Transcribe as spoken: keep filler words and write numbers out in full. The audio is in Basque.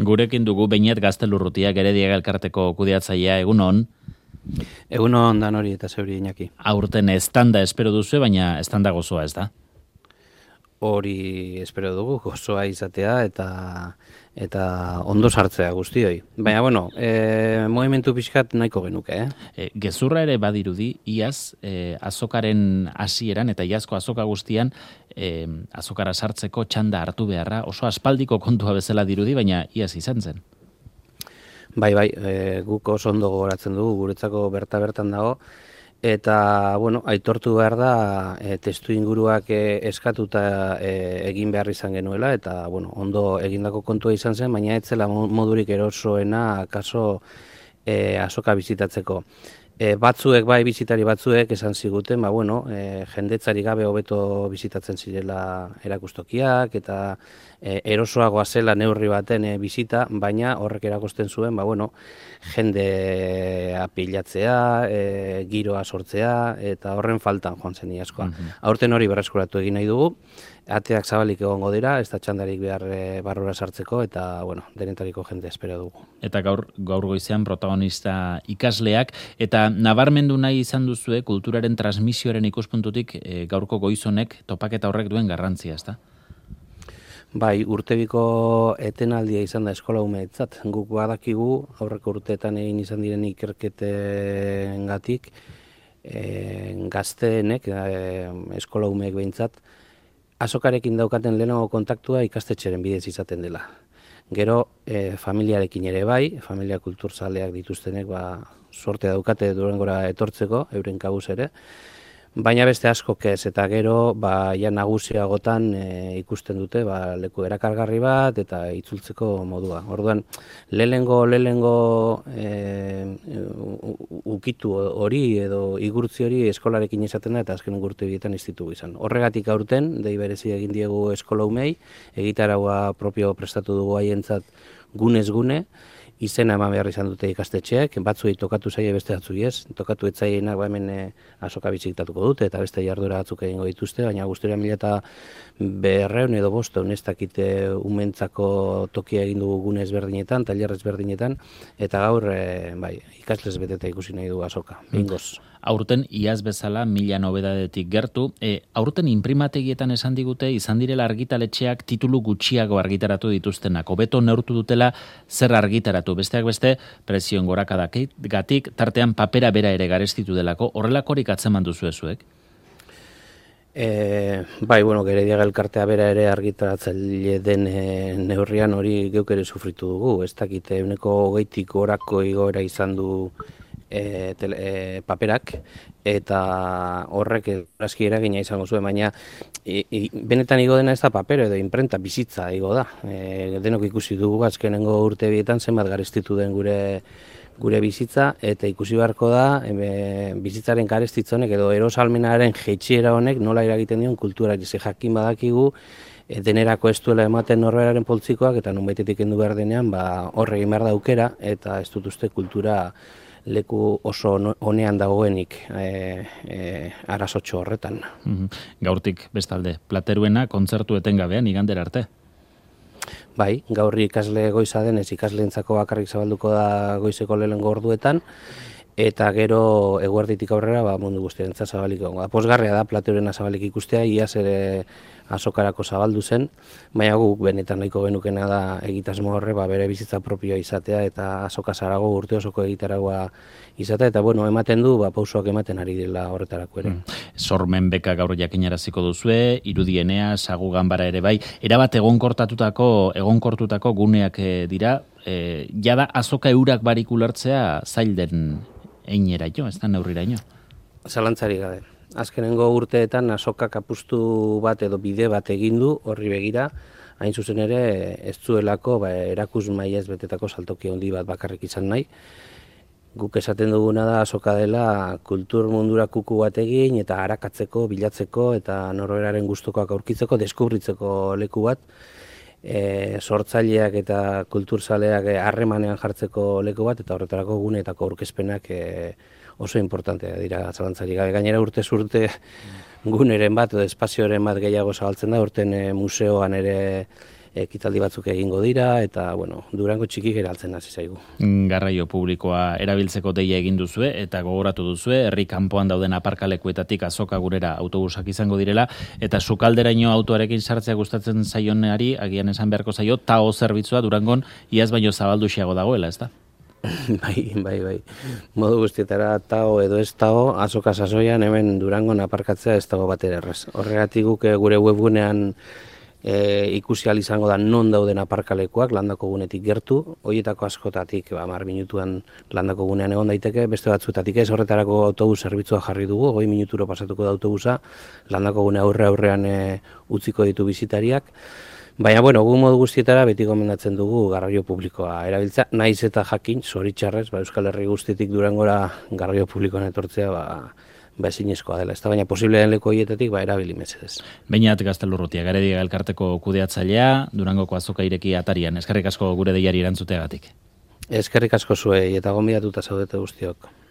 Gurekin dugu Beinet Gaztelurrutia Gerediaga elkarteko kudeatzailea, egunon. Egunon dan hori eta zeuri Iñaki. Aurten estanda espero duzu, baina estanda gozoa ez da? Hori espero dugu, gozoa izatea eta eta ondo sartzea guztioi. Baina, bueno, e, movimentu pixkat nahiko genuke, eh? E, gezurra ere badirudi, iaz, e, azokaren hasieran eta iazko azoka guztian, e, azokara sartzeko txanda hartu beharra, oso aspaldiko kontua bezala dirudi, baina iaz izan zen. Bai, bai, e, guk oso ondo gogoratzen dugu, guretzako berta-bertan dago, eta, bueno, aitortu behar da, e, testu inguruak e, eskatuta e, egin behar izan genuela, eta, bueno, ondo egindako kontua izan zen, baina ez zela modurik erosoena, kaso, e, azoka bizitatzeko. E, batzuek, bai, bizitari batzuek esan ziguten, ba, bueno, e, jendetzari gabe hobeto bizitatzen zirela erakustokiak, eta e, erosoagoa zela neurri baten e, bizita, baina horrek erakusten zuen, ba, bueno, jende apilatzea, e, giroa sortzea, eta horren faltan joan zen iazkoa. Mm-hmm. Aurten hori berreskuratu egin nahi dugu, ateak zabalik egongo dira, ez da txandarik behar e, barrura sartzeko, eta, bueno, denetariko jende espero dugu. Eta gaur, gaur goizean protagonista ikasleak, eta nabarmendu nahi izan duzue kulturaren transmisioaren ikuspuntutik e, gaurko goizonek topaketa horrek duen garrantzia, ezta? Bai, urtebiko etenaldia izan da eskola umeetzat. Guk badakigu aurreko urteetan egin izan diren ikerketengatik e, gazteenek, e, eskola umeek behintzat, azokarekin daukaten lehenago kontaktua ikastetxeren bidez izaten dela. Gero, e, familiarekin ere bai, familia kulturzaleak dituztenek ba, sortea daukate Durangora etortzeko, euren kabuz ere, baina beste askok ez, eta gero ba, ja nagusiagotan e, ikusten dute ba, leku erakargarri bat eta itzultzeko modua. Orduan, lehengo lehengo e, ukitu hori edo igurtzi hori eskolarekin izaten da eta azken urte bietan institugu izan. Horregatik aurten, dei berezi egin diegu eskola umei, egitaraua propio prestatu dugu haientzat gunez gune, izena eman behar izan dute ikastetxeak, batzuei tokatu zaie beste batzui ez, tokatu etzaienak ba hemen e, azoka bizitatuko dute eta beste jardura batzuk egingo dituzte, baina guztiora mila eta berreun edo bosteun ez dakite umentzako tokia egin dugu gune ezberdinetan, tailer ezberdinetan, eta gaur e, bai, ikasles beteta ikusi nahi du azoka, bingoz. Aurten iaz bezala mila nobedadetik gertu, e, aurten inprimategietan esan digute izan direla argitaletxeak titulu gutxiago argitaratu dituztenak, hobeto neurtu dutela zer argitaratu, besteak beste prezioen gorakadagatik tartean papera bera ere garestitu delako, horrelakorik atzeman duzu ezuek? E, bai, bueno, Gerediaga elkartea bera ere argitaratzaile den e, neurrian hori geuk ere sufritu dugu, ez dakite euneko hogeitik gorako igoera izan du E, tele, e, paperak, eta horrek eraski eragina izango zuen, baina e, e, benetan igo dena ez da paper edo imprenta bizitza igo da. E, denok ikusi dugu azkenengo urte bietan zenbat garestitu den gure gure bizitza, eta ikusi beharko da e, bizitzaren garestitzonek edo erosalmenaren jeitsiera honek nola eragiten dion kulturari, ze jakin badakigu e, denerako ez duela ematen norberaren poltsikoak, eta nonbaitetik kendu behar denean ba, horre egin behar da aukera, eta ez dut uste kultura leku oso honean dagoenik e, e, arazotxo horretan. Mm-hmm. Gaurtik bestalde, plateruena kontzertu etengabean igandera arte? Bai, gaurri ikasle goiza denez ikasleentzako bakarrik zabalduko da goizeko lehenengo orduetan, eta gero eguerditik aurrera ba, mundu guztiarentzat zabaliko. Pozgarria da plateruena zabalik ikustea, iaz ere azokarako zabaldu zen, baina guk benetan nahiko genukena da egitasmo horre ba, bere bizitza propioa izatea eta azoka zarago urte osoko egitaragoa izatea, eta bueno, ematen du, ba, pausoak ematen ari dela horretarako ere. Mm. Sormen beka gaur jakinaraziko duzue, irudienea, sagu ganbara ere bai, erabat egonkortatutako, egonkortutako guneak dira, e, jada azoka eurak barik ulertzea zail den eineraino, ez da neurriraino? Zalantzari gabe. Azkenengo urteetan azokak apustu bat edo bide bat egin du horri begira, hain zuzen ere ez zuelako ba, erakus mailez betetako saltoki handi bat bakarrik izan nahi. Guk esaten duguna da azoka dela kultur mundura kuku bat egin eta arakatzeko, bilatzeko eta norberaren gustukoak aurkitzeko, deskubritzeko leku bat, e, sortzaileak eta kulturzaleak harremanean jartzeko leku bat, eta horretarako guneetako aurkezpenak e, oso importantea dira zalantzari gabe. Gainera urtez urte guneren bat edo espazioaren bat gehiago zabaltzen da, urten e, museoan ere ekitaldi batzuk egingo dira, eta, bueno, Durango txiki geraltzen hasi zaigu. Garraio publikoa erabiltzeko deia egin duzue, eta gogoratu duzue, herri kanpoan dauden aparkalekuetatik azoka gurera autobusak izango direla, eta sukalderaino autoarekin sartzea gustatzen zaionari, agian esan beharko zaio, tao zerbitzua Durangon iaz baino zabalduxiago dagoela, ez da? Bai, bai, bai. Modu guztietara tao edo ez tao, azoka sasoian hemen Durangon aparkatzea ez dago batera errez. Horregatik guk gure webgunean e, ikusi ahal izango da non dauden aparkalekuak landako gunetik gertu, horietako askotatik, ba, hamar minutuan landako gunean egon daiteke, beste batzuetatik ez, horretarako autobus zerbitzua jarri dugu, hogei minuturo pasatuko da autobusa, landako gune aurre aurrean e, utziko ditu bizitariak. Baina, bueno, gu modu guztietara beti gomendatzen dugu garraio publikoa erabiltza, naiz eta jakin, zoritxarrez, ba, Euskal Herri guztitik Durangora garraio publikoan etortzea, ba, ba ezinezkoa dela. Ez da, baina posible den leku horietatik, ba, erabili mesedez. Beñat Gaztelurrutia, Garediaga elkarteko kudeatzailea, Durangoko azoka ireki atarian. Eskerrik asko gure deiari erantzuteagatik. Eskerrik asko zuei eta gonbidatuta zaudete guztiok.